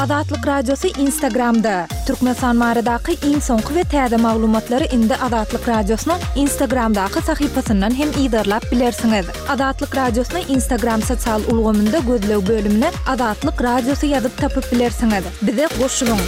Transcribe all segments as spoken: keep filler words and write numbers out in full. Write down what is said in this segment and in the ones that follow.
Azatlyk Radiosy Instagramda. Türkmenistan baradaky iň soňky we täze maglumatlary indi Azatlyk Radiosynyň Instagramdaky sahypasyndan hem yzarlap bilersiňiz. Azatlyk Radiosyny Instagram sosial ulgamynda gözleg bölümine Azatlyk Radiosy ýazyp tapyp bilersiňiz. Bize goşulyň.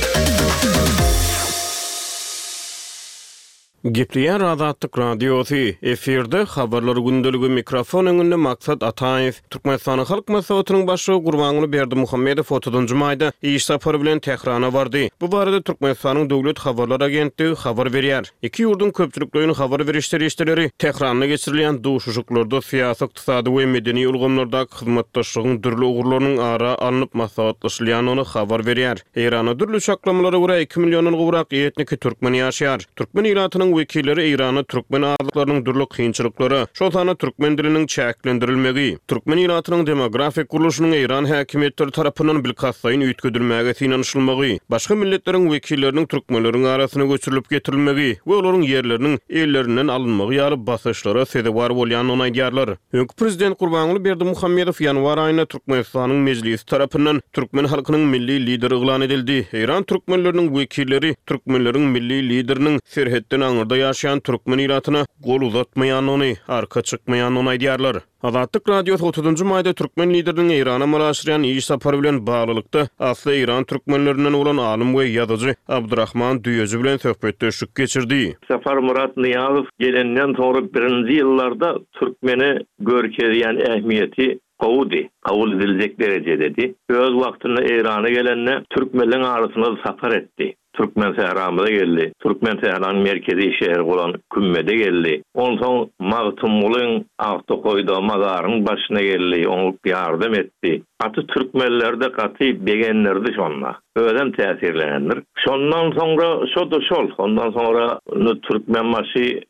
Gepleýär Azatlyk Radiosy. Efirde habarlar gündeligi, mikrofon öňünde Maksat Ataýew. Türkmenistanyň Halk Maslahatynyň başlygy Gurbanguly Berdimuhamedow otuzynjy maýda iş sapary bilen Tährana bardy. Bu barada Türkmenistanyň Döwlet habarlar agentligi habar berýär. Iki ýurduň köpçülikleýin habar beriş serişdeleri Tähranda geçirilýän duşuşyklarda syýasy, ykdysady we medeni ulgamlardaky hyzmatdaşlygyň dürli ugurlarynyň ara alnyp maslahatlaşylýandygyny habar berýär. Eýranda dürli çaklamalara görä iki milliondan gowrak etniki türkmen ýaşaýar. Türkmen ilatynyň wekilleri Eýranda türkmen azlyklarynyň dürli kynçylyklara, şol sanda türkmen diliniň çäklendirilmegi, türkmen ilatynyň demografik gurluşynyň Eýran häkimiýetleri tarapyndan bilkastlaýyn üýtgedilmäge synanyşylmagy, başga milletleriň wekilleriniň türkmenleriň arasyna göçürilip getirilmegi we olaryň ýerleriniň ellerinden alynmagy ýaly basyşlara sezewar bolýandygyny aýdýarlar. Öňki prezident Gurbanguly Berdimuhamedow ýanwar aýynda Türkmenistanyň Mejlisi tarapyndan türkmen halkynyň milli lideri yglan edildi. Eýran türkmenleriniň wekilleri türkmenleriň milli lideriniň serhetden aňyrda ýaşaýan türkmen ilatyna gol uzatmaýandygyny, arka çykmaýandygyny aýdýarlar. Azatlyk Radiosy otuzynjy maýda türkmen lideriniň Eýrana amala aşyrýan iş sapary bilen baglylykda asly eýran türkmenlerinden bolan alym we ýazyjy Abdurahman Düýeji bilen söhbetdeşlik geçirdi. Saparmyrat Nyýazow gelenden soňra birinji ýyllarda türkmene görkezýän ähmiýeti gowudy, kabul ediljek derejededi. Öz wagtynda Eýrana gelende türkmenleň arasynda sapar etdi. Türkmen sähramyza geldi. Türkmen sähranyň merkezi şäheri bolan Kümmede geldi. Onsoň Magtymgulyň Aktokaýda mazaryň başyna geldi, oňa ýardam etdi. Gaty türkmenlerde gaty begendirdi şonda. Özem täsirlenendir. Şondan soňra şo-da şol. Ondan soňra Türkmenbaşy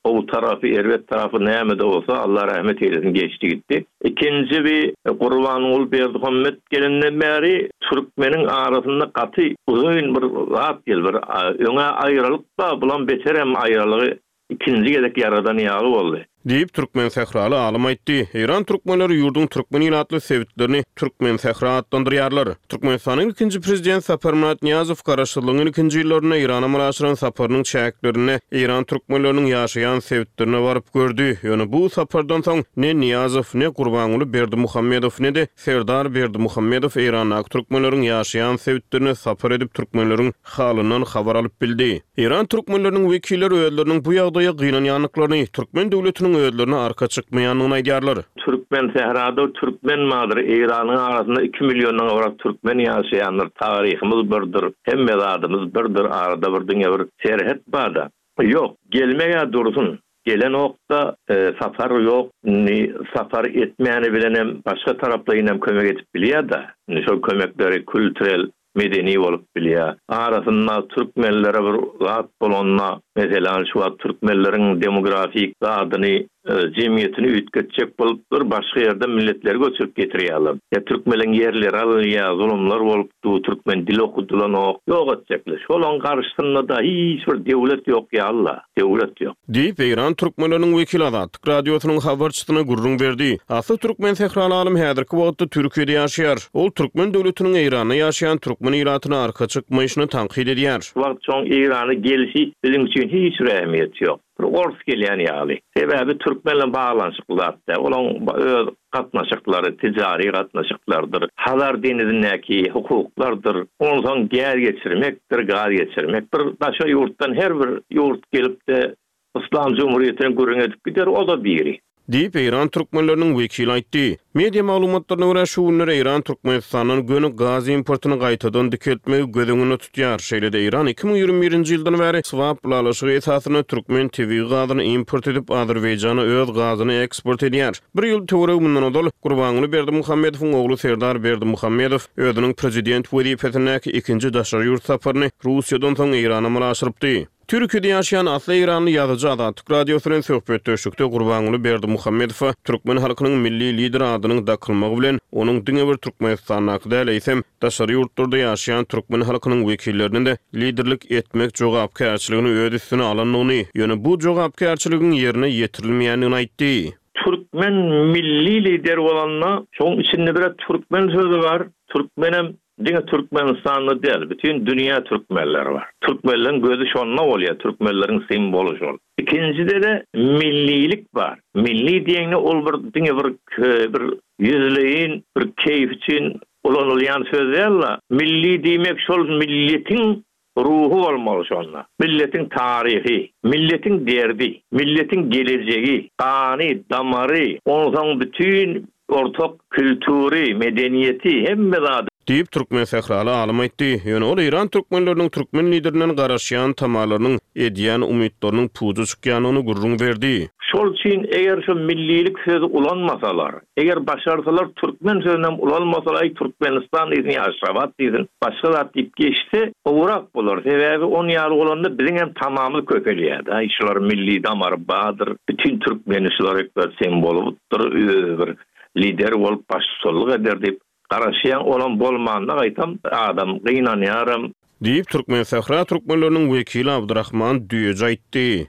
gowy tarapy, erbet tarapy näme-de bolsa Allah rahmet eylesin geçdi gitti. Ikinji bir Gurbanguly Berdimuhamet gelenden bäri türkmeniň arasynda gaty uzyn bir zat gel, bir öňe aýralyk da, bulan beterem aýralygy ikinji gezek ýaradan ýaly boldy. Diýip, türkmen sähraly alym aýtdy. Eýran türkmenleri ýurduň türkmen ilatly sebitlerini türkmen sähra atlandyrýarlar. Türkmenistanyň ilkinji prezident Saparmyrat Nyýazow garaşsyzlygyň ilkinji ýyllarynda Eýrana amala aşyran saparynyň çäklerinde Eýran türkmenleriniň ýaşaýan sebitlerine baryp gördi. Ýöne bu sapardan soň ne Nyýazow, ne Gurbanguly Berdimuhamedow, ne-de Serdar Berdimuhamedow Eýrandaky türkmenleriň ýaşaýan sebitlerine sapar edip türkmenleriň halyndan habar alyp bildi. Eýran türkmenleriniň wekilleri özleriniň bu ýagdaýa gynanýandyklaryny, türkmen döwletiniň özlerine arka çykmaýandygyny aýdýarlar. Türkmen sährada türkmen bardyr, Eýranyň arasynda iki milliondan gowrak türkmen ýaşaýandyr, taryhymyz birdir, hemme zadymyz birdir, arada bir diňe bir serhet bar-da. Ýok, gelmege dursun. Gelen okda, e, sapar ýok, indi sapar etmäni bilenem başga taraplaýyn hem kömek edip bilýär-de. Indi şol kömekleri kültürel, medeni bolup bilýär. Arasynda türkmenlere bir zat bolanda, meselem şu wagt türkmenleriň demografik zadyny, e, jemgyýetini üýtgetjek bolup bir başga ýerde milletleri göçürip getirýärler. Ýa türkmenleň ýerleri alynýar, zulumlar bolup du, türkmen dili okudylan ok, ýok etjekler. Şolaň garşysynda da hiç bir döwlet ýok ýa Allah, döwlet ýok. Diýip, Eýran türkmenleriniň wekili Azatlyk Radiosynyň habarçysyna gürrüň berdi. Asly türkmen sähraly alym häzirki wagtda Türkiýede ýaşaýar. Ol türkmen döwletiniň Eýranda ýaşaýan türkmen ilatyna arka çykmaýşyny tankyt edýär. Şu wagt şoň Eýrana gelişi biziň üçin hiç bir ähmiýeti ýok. Bir ors gelýän ýaly. Sebäbi türkmenle baglanyşykly zat däl. Olaň öz gatnaşyklary, ticari gatnaşyklardyr. Hazar denizindäki hukuklardyr. Onsoň gäz geçirmekdir, gaz geçirmek. Bir başga ýurtdan her bir ýurt gelip de Islam Cumhuriyeti'ni gürrüň edip gider, o da biri. Diýip, Eýran türkmenleriniň wekili aýtdy. Media maglumatlaryna görä şu günler Eýran Türkmenistandan göni gaz importyny gaýtadan dikeltmegi göz öňünde tutýar. Şeýle-de Eýran iki müň ýigrimi birinji ýyldan bäri swap ylalaşygy esasynda türkmen tebigy gazyny import edip, Azerbaýjana öz gazyny eksport edýär. Bir ýyl töweregi mundan ozal Gurbanguly Berdimuhamedowyň ogly Serdar Berdimuhamedow özüniň prezident wezipesindäki ikinji daşary ýurt saparyny Russiýadan soň Eýrana amala aşyrypdy. Türkiýede ýaşaýan asly eýranly ýazyjy Azatlyk Radiosy bilen söhbetdeşlikde Gurbanguly Berdimuhamedowa türkmen halkynyň milli lideri adynyň dakylmagy bilen onuň diňe bir Türkmenistandaky däl, eýsem daşary ýurtlarda ýaşaýan türkmen halkynyň wekillerine de liderlik etmek jogapkärçiligini öz üstüne alandygyny, ýöne bu jogapkärçiligiň ýerine ýetirilmeýändigini aýtdy. Türkmen milli lider bolanda, şoň içinde bir türkmen sözü bar, türkmenem Diňe Türkmenistanda däl, bütin dünýä türkmenleri bar. Türkmenleriň gözi şonda bolýar, türkmenleriň simwoly şol. Ikinjide-de millilik bar. Milli diýende ol bir diňe bir bir ýüzleýin bir keýf üçin ulanylýan söz däl. Milli diýmek şol milletiň ruhy bolmaly şonda. Milletiň taryhy, milletiň derdi, milletiň gelejegi, gany, damary, onsoň bütin ortak kültüri, medeniýeti hemme zady diýip türkmen sähraly alym aýtdy. Ýöne ol Eýran türkmenleriniň türkmen liderinden garaşýan tamalarynyň edýän umytlarynyň puja çykýanyny gürrüň berdi. Şol üçin eger şu millilik sözi ulanmasalar, eger başarsalar türkmen sözüni ulanmasalar, aý Türkmenistan diýsin, ýa Aşgabat diýsin, başga zat diýip geçse, gowurak bolar. Sebäbi on ýaly bolanda biziň hem tamamyz köpelýär. Aý şular milli damary bardyr, bütün türkmeni şular ekber simwolydyr, öz bir lider bolup baştutanlyk eder diýip garaşýan olan bolmanda gaýtam adam gynanýaram. Diýip Türkmen Sähra türkmenleriniň wekili Abdurrahman Düýeji aýtdy.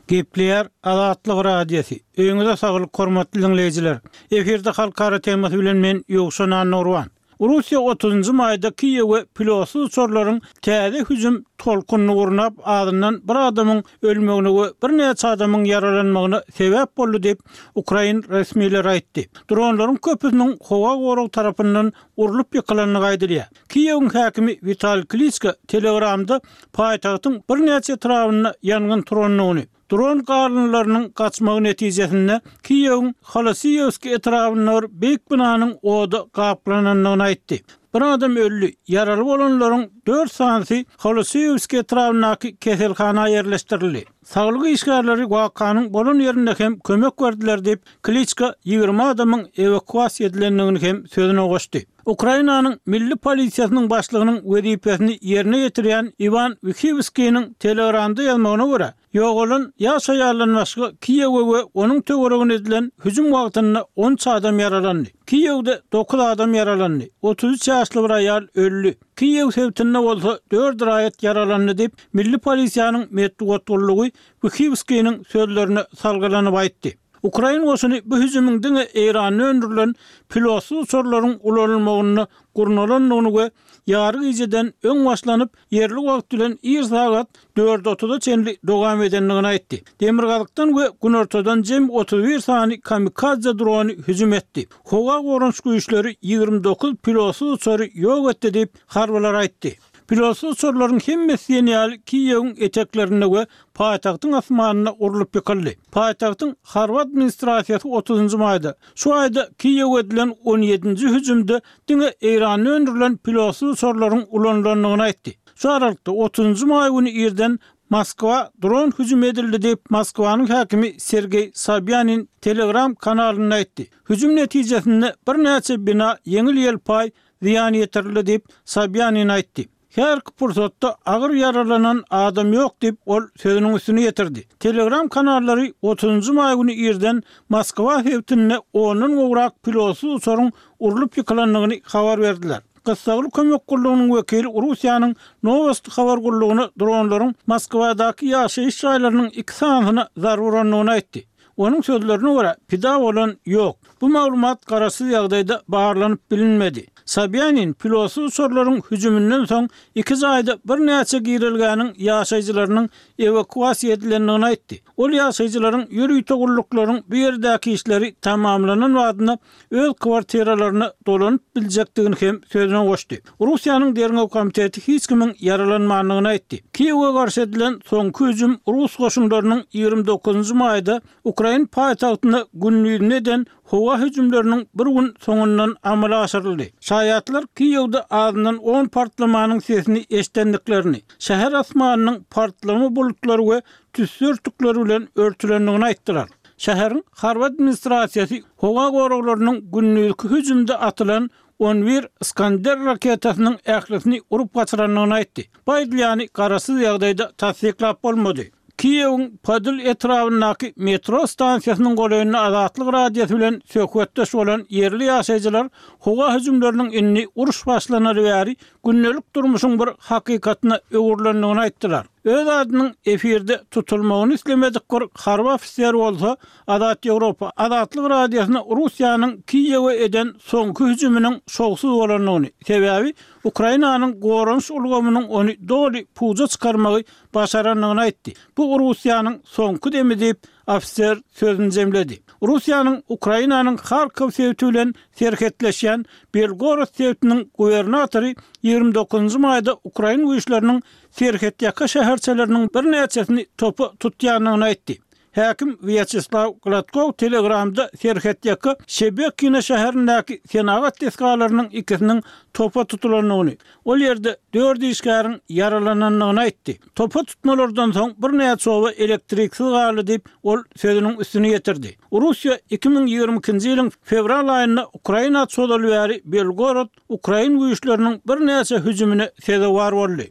Gepleýär Azatlyk Radiosy. Öýüňize saglyk hormatly dinleýjiler. Efirde halkara temasy bilen men Ýowşan Annurwan. Russiýa otuzynjy maýda Kiýewe pilotsyz uçarlaryň täze hüjüm tolkunyny gurnap, azyndan bir adamyň ölmegine we birnäçe adamyň ýaralanmagyna sebäp boldy diýip Ukrain resmileri aýtdy. Dronlaryň köpüsiniň howa gorag tarapyndan urlup ýykylandygy aýdylýar. Kiýewiň häkimi Wital Kliçko Telegramda paýtagtyň birnäçe etrabynda ýangyn turandygyny, dron galynlarynyň gaçmagy netijesinde Kiýewiň Holosiýewski etrabynda bir beýik binanyň oda gaplanandygyny aýtdy. Bir adam öldi, ýaraly bolanlaryň dört sanysy Holosiýewski etrabyndaky keselhana ýerleşdirildi. Saglyk işgärleri wakanyň bolan ýerinde hem kömek berdiler diýip, Kliçko ýigrimi adamyň ewakuasiýa edilendigini hem sözüne goşdy. Ukrainanyň milli polisiýasynyň başlygynyň wezipesini ýerine ýetirýän Iwan Wihiwskiniň Telegramda ýazmagyna görä, ýogalan ýaş aýaldan başga Kiýewe we onuň töweregine edilen hüjüm wagtynda on üç adam ýaralandy. Kiýewde dokuz adam ýaralandy. Otuz üç ýaşly bir aýal öldi. Kiýew sebitinde bolsa dört raýat ýaralandy diýip, milli polisiýanyň metbugat gullugy Wihiwskiniň sözlerine salgylanyp aýtdy. Ukrain goşuny bu hüjümiň diňe Eýranda öndürilen pilotsyz uçarlaryň ulanylmagyny gurnalandygyny we ýary gijeden öň başlanyp, ýerli wagt bilen ir sagat dört otuza çenli dowam edendigini aýtdy. Demirgazykdan we günortadan jem otuz bir sany kamikadze drony hüjüm etdi. Howa goranyş güýçleri ýigrimi dokuz pilotsyz uçary ýok etdi diýip harbylar aýtdy. Pilotsyz uçarlaryň hemmesi diýen ýaly Kiýewiň eteklerinde we paýtagtyň asmanynda urlup ýykyldy. Paýtagtyň harby administrasiýasy otuzynjy maýda şu aýda Kiýewe edilen on ýedinji hüjümde diňe Eýranda öndürilen pilotsyz uçarlaryň ulanylandygyny aýtdy. Şu aralykda otuzynjy maý güni irden Moskwa dron hüjüm edildi diýip Moskwanyň häkimi Sergeý Sobýanin Telegram kanalynda aýtdy. Hüjüm netijesinde birnäçe bina ýeňil ýelpaý zyýan ýetirildi diýip Sobýanin aýtdy. Her pursatda agyr ýaralanan adam ýok diýip ol sözüniň üstüne ýetirdi. Telegram kanallary otuzynjy maý güni irden Moskwa sebitinde ondan gowrak pilotsyz uçaryň urlup ýykylandygyny habar berdiler. Gyssagly kömek gullugynyň wekili Russiýanyň Nowosti habar gullugyna dronlaryň Moskwadaky ýaşaýyş jaýlarynyň iki sanysyna zarba urandygyny aýtdy. Onuň sözlerine görä, pida bolan ýok. Bu maglumat garaşsyz ýagdaýda barlanyp bilinmedi. Sobýanin pilotsyz uçarlaryň hüjüminden soň iki jaýda birnäçe girelgäniň ýaşaýjylarynyň ewakuasiýa edilendigini aýtdy. Ol ýaşaýjylaryň ýörite gulluklaryň bu ýerdäki işleri tamamlanan wagtynda öz kwartiralaryna dolanyp biljekdigini hem sözüne goşdy. Russiýanyň Derňew komiteti hiç kimiň ýaralanmandygyny aýtdy. Kiýewe garşy edilen soňky hüjüm Rus goşunlarynyň ýigrimi dokuzynjy maýda Ukrain paýtagtyna gündizine eden howa hüjümleriniň bir gün soňundan amala aşyryldy. Şaýatlar Kiýewde azyndan on partlamanyň sesini eşidendiklerini, şäher asmanynyň partlama bulutlary we tüsse örtükleri bilen örtülendigini aýtdylar. Şäheriň harby administrasiýasy howa goraglarynyň gündizki hüjümde atylan on bir Iskander raketasynyň ählisini urup gaçyrandygyny aýtdy. Bu aýdylýany garaşsyz ýagdaýda tassyklap bolmady. Kiýewiň Podil etrabyndaky metro stansiýasynyň golaýynda Azatlyk Radiosy bilen söhbetdeş bolan ýerli ýaşaýjylar howa hüjümleriniň indi uruş başlanaly bäri gündelik durmuşyň bir hakykatyna öwrülendigini aýtdylar. Öz adynyň efirde tutulmagyny islemedik bir harby ofiser bolsa, Azat Ýewropa Azatlyk Radiosyna Russiýanyň Kiýewe eden soňky hüjüminiň şowsuz bolandygyny, sebäbi Ukrainanyň goranyş ulgamynyň ony doly puja çykarmagy başarandygyny aýtdy. Bu Russiýanyň soňky demi diýip, ofiser sözüni jemledi. Russiýanyň Ukrainanyň Harkow sebiti bilen serhetleşýän Belgorod sebitiniň gubernatory ýigrimi dokuzynjy maýda ukrain güýçleriniň serhetýaka şäherçeleriniň birnäçesini topa tutýandygyny aýtdy. Häkim Wýaçeslaw Gladkow Telegramda serhetýaka Şebekino şäherindäki senagat desgalarynyň ikisiniň topa tutulandygyny, ol ýerde dört işgäriň ýaralanandygyny aýtdy. Topa tutmalardan soň birnäçe oba elektriksiz galdy diýip, ol sözüniň üstüni ýetirdi. Russiýa iki müň ýigrimi ikinji ýylyň fewral aýynda Ukraina çozaly bäri Belgorod ukrain güýçleriniň birnäçe hüjümine sezewar boldy.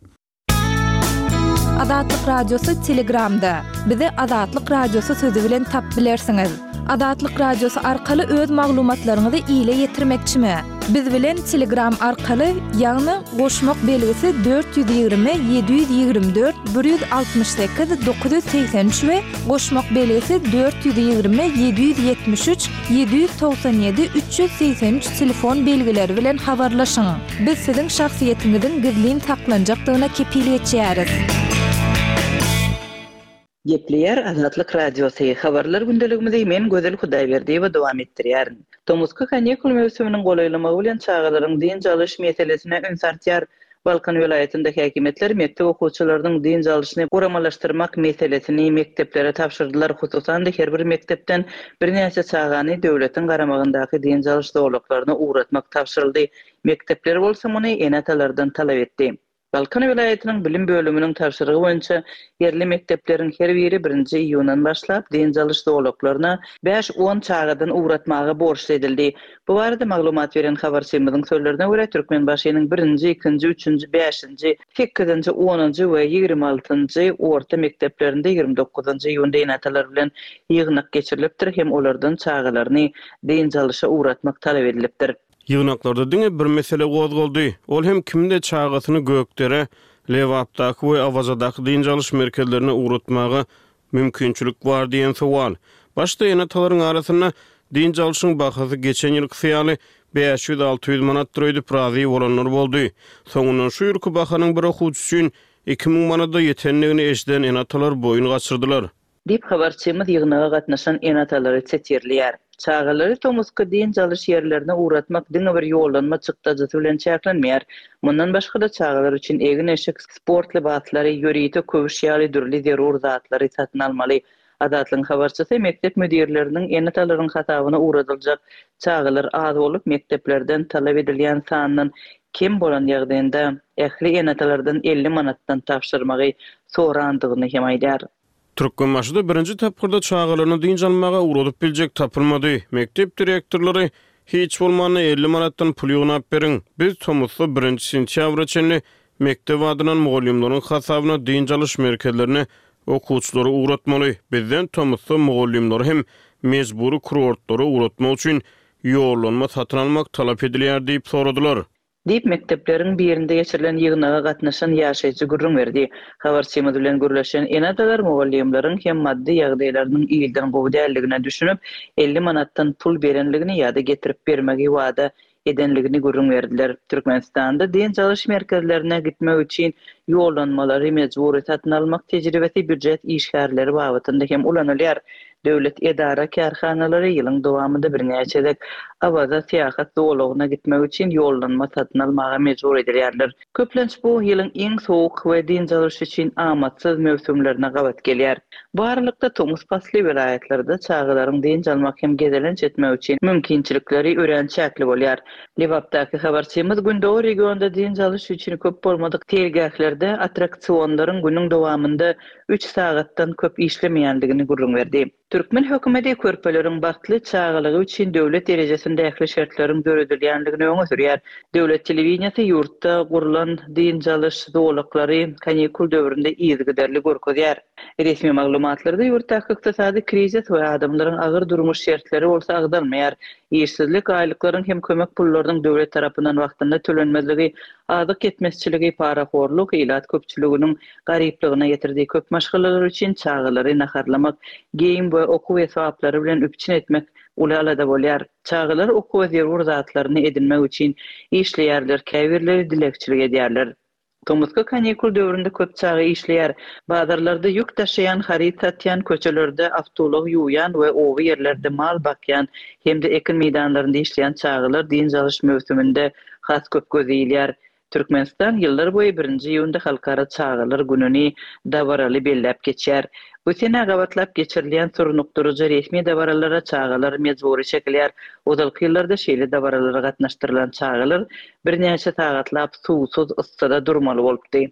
Azatlyk Radiosy Telegramda. Bizi Azatlyk Radiosy sözi bilen tap bilersiňiz. Azatlyk Radiosy arkaly öz maglumatlaryňyzy ile ýetirmekçimi? Biz bilen Telegram arkaly, ýagny goşmak belgisi dört ýüz ýigrimi ýedi ýüz ýigrimi dört bir ýüz altmyş sekiz dokuz ýüz segsen üç we goşmak belgisi dört ýüz ýigrimi ýedi ýüz ýetmiş üç ýedi ýüz togsan ýedi üç ýüz segsen üç telefon belgileri bilen habarlaşyň. Biz siziň şahsyýetiňiziň gizlin saklanjakdygyna kepil geçýäris. Gepleýär Azatlyk Radiosy, Habarlar gündeligimizi men Gözel Hudaýberdiýewa dowam etdirýärin. Tomusky kanikul möwsüminiň golaýlamagy bilen çagalaryň dynç alyş meselesine üns artýar. Balkan welaýatynda häkimiýetler mekdep okuwçylarynyň dynç alyşyny guramalaşdyrmak meselesini mekdeplere tabşyrdylar. Hususan-da, her bir mekdepden birnäçe çagany döwletiň garamagyndaky dynç alyş zolaklaryna ugratmak tabşyryldy. Mekdepler bolsa muny ene-atalardan talap etdi. Balkan welaýatynyň bilim bölüminiň tabşyrygy boýunça ýerli mekdepleriň her biri birinji iýundan başlap dynç alyş zolaklaryna bäş-on çagadan ugratmaga borçly edildi. Bu barada maglumat beren habarçymyzyň sözlerine görä, Türkmenbaşynyň birinji, ikinji, üçünji, bäşinji, sekizinji, onunjy we ýigrimi altynjy orta mekdeplerinde ýigrimi dokuzynjy iýunda ene-atalar bilen ýygnak geçirilipdir hem olardan çagalaryny dynç alyşa ugratmak talap edilipdir. Ýygnaklarda diňe bir mesele gozgaldy. Ol hem kimde çagasyny Gökdere, Lebapdaky we Awazadaky dynç alyş merkezlerine ugratmaga mümkinçilik bar diýen sowal. Başda ene-atalaryň arasynda dynç alyşyň bahasy geçen ýylkysy ýaly bäş ýüz alty ýüz manatdyr öýdüp razy bolanlar boldy. Soňundan şu ýylky bahanyň bir okuwçy üçin iki müň manada ýetendigini eşiden ene-atalar boýun gaçyrdylar. Diýip habarçymyz ýygnaga gatnaşan ene-atalary setirleýär. Çagalary tomusky dynç alyş ýerlerine ugratmak diňe bir ýollanma çykdajysy bilen çäklenmeýär. Mundan başga-da çagalar üçin egin-eşik, sport lybaslary, ýörite köwüş ýaly dürli zerur zatlary satyn almaly. Azatlygyň habarçysy mekdep müdirleriniň ene-atalaryň hasabyna ugradyljak çagalar az bolup, mekdeplerden talap edilýän sandan kem bolan ýagdaýynda ähli ene-atalardan elli manatdan tabşyrmagy sorandygyny hem aýdar. Türkmenbaşyda birinji tapgyrda çagalaryny dynç almaga ugradyp biljek tapylmady. Mekdep direktorlary hiç bolmanda elli manatdan pul ýygnap beriň. Biz tomusda birinji sentýabra çenli mekdep adyndan mugallymlaryň hasabyna dynç alyş merkezlerine okuwçylary ugratmaly. Bizden tomusda mugallymlary hem mejbury kurortlara ugratmak üçin ýollanma satyn almak talap edilýär diýip soradylar. Diýip, mekdepleriň birinde geçirilen ýygnaga gatnaşan ýaşaýjy gürrüň berdi. Habarçymyz bilen gürleşen ene-atalar mugallymlaryň hem maddy ýagdaýlarynyň ilden gowy däldigine düşünip, elli manatdan pul berenligini ýa-da getirip bermegi wada edenligini gürrüň berdiler. Türkmenistanda dynç alyş merkezlerine gitmek üçin ýollanmalary mejbury satyn almak tejribesi býujet işgärleri babatynda hem ulanylýar. Döwlet edara kärhanalary ýylyň dowamynda birnäçe gezek Awaza syýahat zolagyna gitmek üçin ýollanma satyn almaga mejbur edilýärler. Köplenç bu ýylyň iň sowuk we dynç alyş üçin amatsyz möwsümlerine gabat gelýär. Bu aralykda tomus pasly welaýatlarda çagalaryň dynç almak hem gezelenç etmek üçin mümkinçilikleri örän çäkli bolýar. Lebapdaky habarçymyz Gündogar regionda dynç alyş üçin köp bolmadyk seýilgählerde attraksionlaryň günüň dowamynda üç sagatdan köp işlemeýändigini gürrüň berdi. Türkmen hökümeti körpeleriň bagtly çagalygy üçin döwlet derejesinde ähli şertleriň döredilýändigini öňe sürýär. Döwlet telewideniýesi ýurtda gurlan dynç alyş zolaklary kanikul döwründe yzygiderli görkezýär. Resmi maglumatlarda ýurtdaky ykdysady krizis we adamlaryň agyr durmuş şertleri bolsa agzalmaýar. Işsizlik, aýlyklaryň hem kömek pullarynyň döwlet tarapyndan wagtynda tölenmezligi, azyk ýetmezçiligi, parahorluk ilat köpçüliginiň garyplygyna getirdi. Köp maşgalalar üçin çagalary naharlamak, geýim we okuw esbaplary bilen üpjün etmek uly alada bolýar. Çagalar okuwa zerur zatlaryny edinmek üçin işleýärler, käbirleri dilegçilik edýärler. Tomusky kanikul döwründe köp çaga işleýär. Bazarlarda ýük daşaýan, haryt satýan, köçelerde awtoulag ýuwýan we oba ýerlerde mal bakýan hem-de ekin meýdanlarynda işleýän çagalar dynç alyş möwsüminde has köp göze ilýär. Türkmenistan ýyllar boýy birinji iýunda Halkara çagalar gününi dabaraly belläp geçýär. Bu senä gabatlap geçirilýän surnukdyryjy resmi dabaralara çagalar mejbury çekilýär. Ozalky ýyllarda şeýle dabaralara gatnaşdyrylan çagalar birnäçe sagatlap suwsuz, yssyda durmaly bolupdy.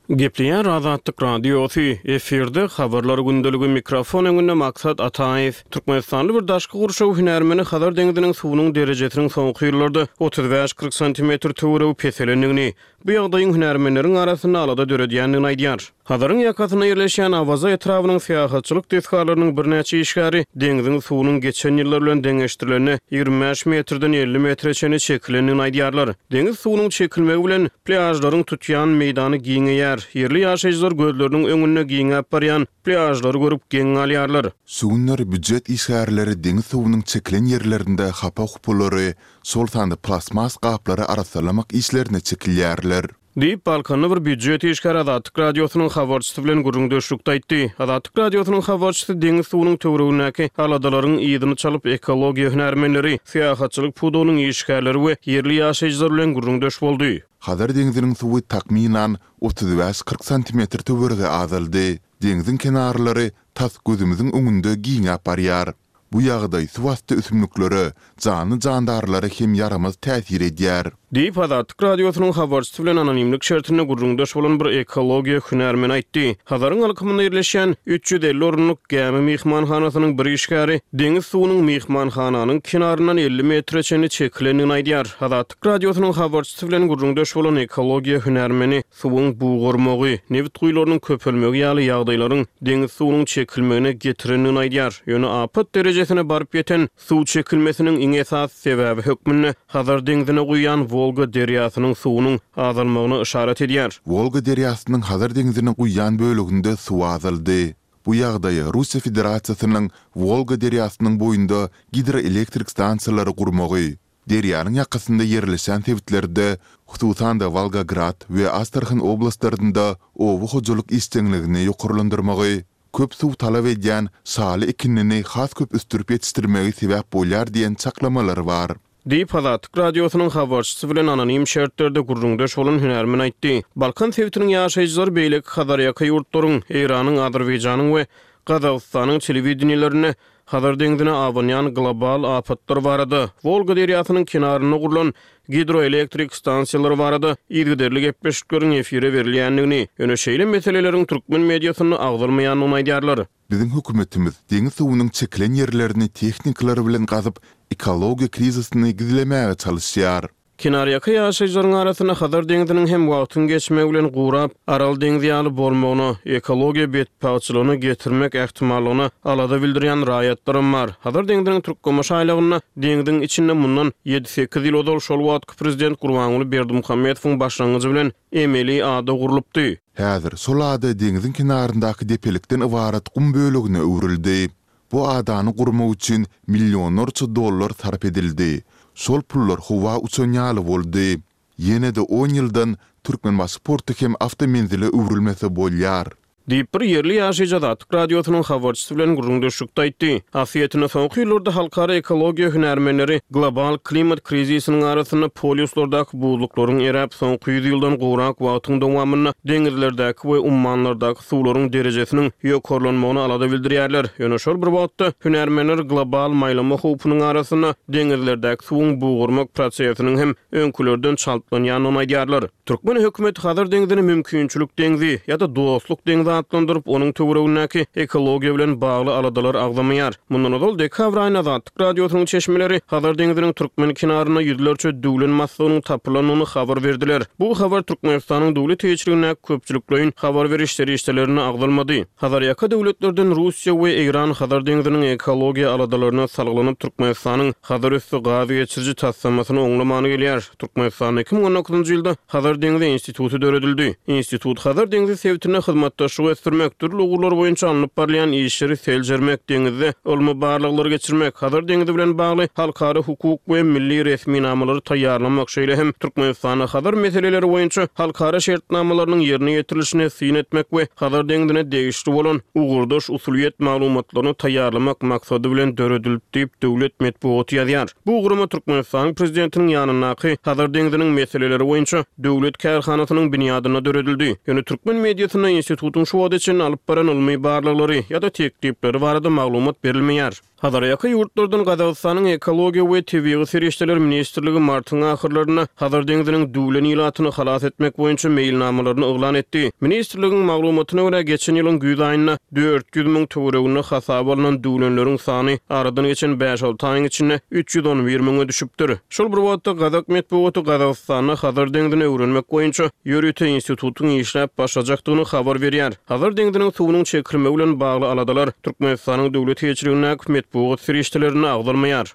Gepleýär Azatlyk Radiosy, efirde Habarlar gündeligi, mikrofon öňünde Maksat Ataýew. Türkmenistanly bir daşky gurşaw hünärmeni Hazar deňziniň suwunyň derejesiniň soňky ýyllarda otuz bäş-kyrk santimetr töweregi peselendigini, bu ýagdaýyň hünärmenleriň arasynda alada döredýändigini aýdýar. Hazaryň ýakasynda ýerleşýän Awaza etrabynyň syýahatçylyk desgalarynyň birnäçe işgäri deňziň suwunyň geçen ýyllar bilen deňeşdirilende ýigrimi bäş metrden elli metre çenli çekilendigini aýdýarlar. Deňiz suwunyň çekilmegi bilen plýažlaryň tutýan meýdany giňeýär. Ýerli ýaşaýjylar gözleriniň öňünde giňäp barýan plýažlary görüp geň galýarlar. Şu günler býujet işgärleri deňiz suwunyň çekilen ýerlerinde hapa-hupalary, şol sanda plastmas gaplary arassalamak işlerine çekilýärler. Diýip, Balkanly bir býujet işgäri Azatlyk Radiosynyň habarçysy bilen gürrüňdeşlikde aýtdy. Azatlyk Radiosynyň habarçysy deňiz suwunyň töweregindäki aladalaryň yzyny çalyp, ekologiýa hünärmenleri, syýahatçylyk pudagynyň işgärleri we ýerli ýaşaýjylar bilen gürrüňdeş boldy. Hazar deňziniň suwy takmynan otuz bäş-kyrk santimetr töweregi azaldy. Deňziň kenarlary tas gözümiziň öňünde giňäp barýar. Bu ýagdaý suwasty ösümliklere, janly-jandarlara hem ýaramaz täsir edýär. Diýip, Azatlyk Radiosynyň habarçysy bilen anonimlik şertinde gürrüňdeş bolan bir ekologiýa hünärmeni aýtdy. Hazaryň alkymynda ýerleşýän üç ýüz elli orunlyk gämi myhmanhanasynyň bir işgäri deňiz suwunyň myhmanhananyň kenaryndan elli metre çenli çekilendigini aýdýar. Azatlyk Radiosynyň habarçysy bilen gürrüňdeş bolan ekologiýa hünärmeni suwuň bugarmagy, nebit guýularynyň köpelmegi ýaly ýagdaýlaryň deňiz suwunyň çekilmegine getirendigini aýdýar. Ýöne apat derejesine baryp ýeten suw çekilmesiniň iň esasy sebäbi hökmünde Hazar deňzine guýýan Wolga derýasynyň suwunyň azalmagyna yşarat edýär. Wolga derýasynyň Hazar deňzine guýýan böleginde suw azaldy. Bu ýagdaýa Russiýa Federasiýasynyň Wolga derýasynyň boýunda gidroelektrik stansiýalary gurmagy, derýanyň ýakasynda ýerleşen sebitlerde, hususan-da Wolgograd we Astrahan oblastlarynda oba hojalyk işjeňligini ýokarlandyrmagy, köp suw talap edýän şaly ekinini has köp ösdürip ýetişdirmegi sebäp bolýar diýen çaklamalar bar. Diýip, Azatlyk Radiosynyň habarçysy bilen anonim şertlerde gürrüňdeş bolan hünärmen aýtdy. Balkan sebitiniň ýaşaýjylary beýleki Hazarýaka ýurtlaryň, Eýranyň, Azerbaýjanyň we Gazagystanyň telewideniýelerinde Hazar deňzine abanýan global apatlar barada, Wolga derýasynyň kenarynda gurlan gidroelektrik stansiýalary barada yzygiderli gepleşikleriň efire berilýändigini, ýöne şeýle meseleleriň türkmen mediasynda agzalmaýandygyny aýdýarlar. Biziň hökümetimiz deňiz suwunyň çekilen ýerlerini tehnikalar bilen gazyp, ekologiýa krizisini gizlemäge çalyşýar. Kenarýaka ýaşaýjylaryň arasynda Hazar deňziniň hem wagtyň geçmegi bilen gurap, Aral deňzi ýaly bolmagyna, ekologiýa betbagtçylygyna getirmek ähtimallygyna alada bildirýän raýatlaram bar. Hazar deňziniň Türkgomaş aýlagynda deňziň içinde mundan ýedi-sekiz ýyl ozal şol wagtky prezident Gurbanguly Berdimuhamedowyň başlangyjy bilen emeli ada gurlupdy. Häzir şol ada deňziň kenaryndaky depelikden ybarat gum bölegine öwrüldi. Bu adany gurmak üçin millionlarça dollar sarp edildi. Şol pullar howa uçan ýaly boldy. Ýene-de on ýyldan Türkmenbaşy porty hem awtomenzile öwrülmese bolýar. Diýip, bir ýerli ýaşaýjy Azatlyk Radiosynyň habarçysy bilen gürrüňdeşlikde aýtdy. Aslyýetinde soňky ýyllarda halkara ekologiýa hünärmenleri global klimat krizisiniň arasynda polýuslardaky buzluklaryň eräp, soňky ýüz ýyldan gowrak wagtyň dowamynda deňizlerdäki we ummanlardaky suwlaryň derejesiniň ýokarlanmagyna alada bildirýärler. Ýöne şol bir wagtda hünärmenler global maýlama howpunyň arasynda deňizlerdäki suwuň bugarmak prosesiniň hem öňkülerden çaltlanýandygyny aýdýarlar. Türkmen hökümeti Hazar deňzini mümkinçilik deňzi ýa-da dostluk deňzi atlandyryp, onuň töweregindäki ekologiýa bilen bagly aladalar agzamaýar. Mundan ozal dekabr aýynda Azatlyk Radiosynyň çeşmeleri Hazar deňziniň türkmen kenarynda ýüzlerçe düwlen maslygynyň tapylanyny habar berdiler. Bu habar Türkmenistanyň döwlet eýeçiligindäki köpçülikleýin habar beriş serişdelerinde agzalmady. Hazarýaka döwletlerden Russiýa we Eýran Hazar deňziniň ekologiýa aladalaryna salgylanyp, Türkmenistanyň Hazarüsti gaz geçiriji taslamasyny oňlamany gelýär. Türkmenistanda iki müň on dokuzynjy ýylda Hazar deňzi instituty döredildi. Institut Hazar deňzi sebitinde hyzmatdaşlygy ösdürmek, dürli ugurlar boýunça alnyp barylýan işleri seljermek, deňizde ylmy barlaglary geçirmek, Hazar deňzi bilen bagly halkara hukuk we milli resminamalary taýýarlamak, şeýle hem Türkmenistanda Hazar meseleleri boýunça halkara şertnamalarynyň ýerine ýetirilişine syn etmek we Hazar deňzine degişli bolan ugurdaş usulyýet maglumatlaryny taýýarlamak maksady bilen döredildi diýip, döwlet metbugaty ýazýar. Bu gurama Türkmenistanyň Prezidentiniň ýanyndaky Hazar deňziniň meseleleri boýunça döwlet kärhanasynyň binýadynda döredildi. Ýöne türkmen mediasynda institutyň şu wagta çenli alyp baran ylmy barlaglary ýa-da teklipleri barada maglumat berilmeýär. Hazarýaka ýurtlardan Gazagystanyň Ekologiýa we tebigy serişdeler ministrligi martyň ahyrlarynda Hazar deňziniň düwlen ilatyny halas etmek boýunça meýilnamalaryny yglan etdi. Ministrligiň maglumatyna görä, geçen ýylyň güýz aýynda dört ýüz müň töwereginde hasaba alnan düwlenleriň sany aradan geçen bäş-alty aýyň içinde üç ýüz on bir müňe düşüpdir. Şol bir wagtda gazak metbugaty Gazagystanda Hazar deňzini öwrenmek boýunça ýörite institutyň işläp başlajakdygyny habar berýär. Hazar deňziniň suwunyň çekilmegi bilen bagly aladalar Türkmenistanyň döwlet eýeçiligindäki metbugat serişdelerinde agzalmaýar.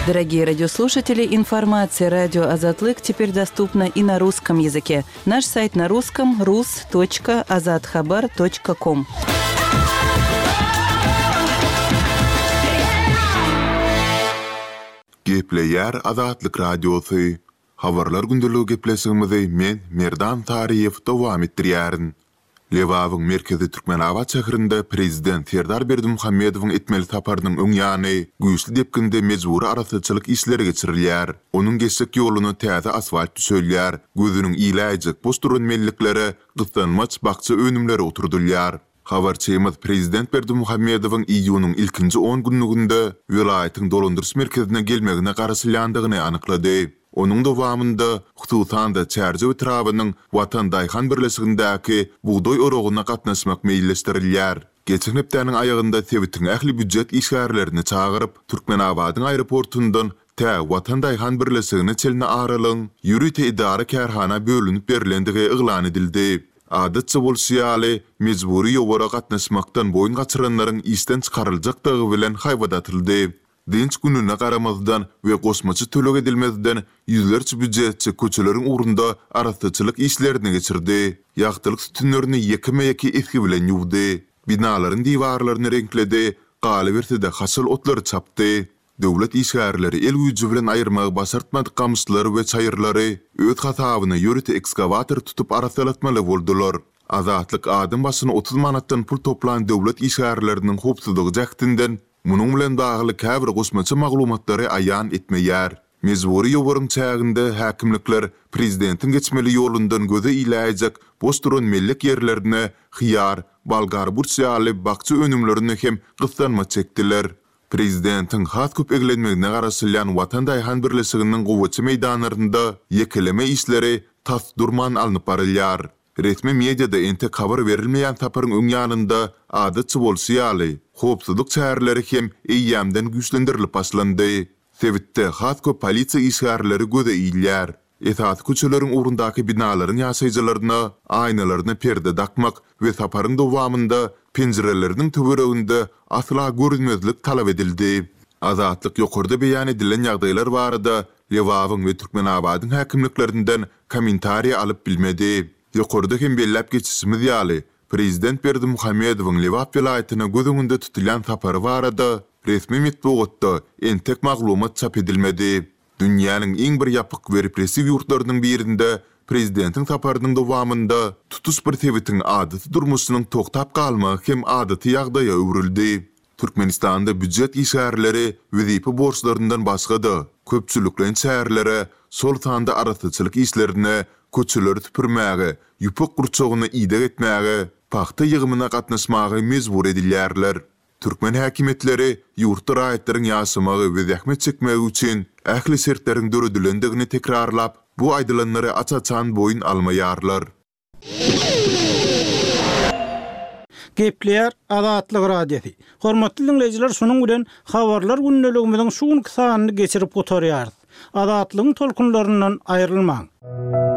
Дорогие радиослушатели, информация радио Азатлык теперь доступна и на русском языке. Наш сайт на русском рус точка азатхабар точка ком. Gepleýär Azatlyk Radiosy. Habarlar gündeligi gepleşigimizi men Merdan Taryýew dowam etdirýärin. Lebabyň merkezi Türkmenabat şäherinde Prezident Serdar Berdimuhamedowyň etmeli saparynyň öň ýany güýçli depginde mejbury arassaçylyk işleri geçirilýär. Onuň geçjek ýoluna täze asfalt düşelýär. Gözüniň iläýjek boş duran melliklere gyssanmaç bakja önümleri oturdylýar. Habarçymyz Prezident Berdimuhamedowyň iýunyň ilkinji on günlüginde welaýatyň dolandyryş merkezine gelmegine garaşylýandygyny anyklady. Onuň dowamynda hususan-da Çärjew etrabynyň Watan Daýhan birleşigindäki bugdaý oragyna gatnaşmak meýilleşdirilýär. Geçen hepdäniň aýagynda sebitiň ähli býujet işgärlerini çagyryp, Türkmenabadyň aeroportundan tä Watan Daýhan birleşigine çenli aralygyň ýörite idara kärhana bölünip berilendigi yglan edildi. Adatça bolşy ýaly, mejbury ýowara gatnaşmakdan boýun gaçyranlaryň işden çykaryljakdygy bilen haýbat atyldy. Dynç gününe garamazdan we goşmaça töleg edilmezden ýüzlerçe býujetçi köçeleriň ugrunda arassaçylyk işlerini geçirdi. Ýagtylyk sütünlerini ýekeme-ýeke esgi bilen ýuwdy. Binalaryň diwarlaryny reňkledi, galyberse-de haşal otlary çapdy. Döwlet işgärleri el güýji bilen aýyrmagy başartmadyk gamyşlary we çaýyrlary öz hasabyna ýörite ekskawator tutup arassalatmaly boldular. Azatlyk adam başyna otuz manatdan pul toplan döwlet işgärleriniň howpsuzlygy jähtinden munuň bilen bagly käbir goşmaça maglumatlary aýan etmeýär. Mejbury ýowaryň çäginde häkimlikler prezidentiň geçmeli ýolundan göze iläýjek boş duran mellek ýerlerine hyýar, bolgar burç ýaly bakja önümlerini hem gyssanma çekdiler. Prezidentiň has köp eglenmegine garaşylýan Watan Daýhan birleşiginiň gowaça meýdanlarynda ýekeleme işleri tas durman alnyp barylýar. Resmi mediada entek habar berilmeýän saparyň öň ýanynda adatça bolşy ýaly, howpsuzlyk çäreleri hem eýýämden güýçlendirilip başlandy. Sebitde has köp polisiýa işgärleri göze ilýär. Esasy köçeleriň ugrundaky binalaryň ýaşaýjylaryna aýnalaryna perde dakmak we saparyň dowamynda penjireleriniň töwereginde asla görünmezlik talap edildi. Azatlyk ýokarda beýan edilen ýagdaýlar barada Lebabyň we Türkmenabadyň häkimliklerinden kommentariýa alyp bilmedi. Ýokarda hem belläp geçişimiz ýaly, Prezident Berdimuhamedowyň Lebap welaýatyna göz öňünde tutulýan sapary barada resmi metbugatda entek maglumat çap edilmedi. Dünýäniň iň bir ýapyk we repressiw ýurtlarynyň birinde prezidentiň saparynyň dowamynda tutuş bir sebitiň adaty durmuşynyň toktap galmagy hem adaty ýagdaýa öwrüldi. Türkmenistanda býujet işgärleri wezipe borçlaryndan başga-da köpçülikleýin çärelere, şol sanda arassaçylyk işlerine, köçeleri süpürmäge, ýüpek gurçagyny ideg etmäge, pagta ýygymyna gatnaşmaga mejbur edilýärler. Türkmen häkimiýetleri ýurtda raýatlaryň ýaşamagy we zähmet çekmegi üçin ähli şertleriň döredilendigini tekrarlap, bu aýdylanlary aç-açan boýun almaýarlar. Gepleýär Azatlyk Radiosy. Hormatly diňleýjiler, şunuň bilen Habarlar gündeligimiziň şu günki sanyny geçirip gutarýarys. Azatlygyň tolkunlaryndan aýrylmaň!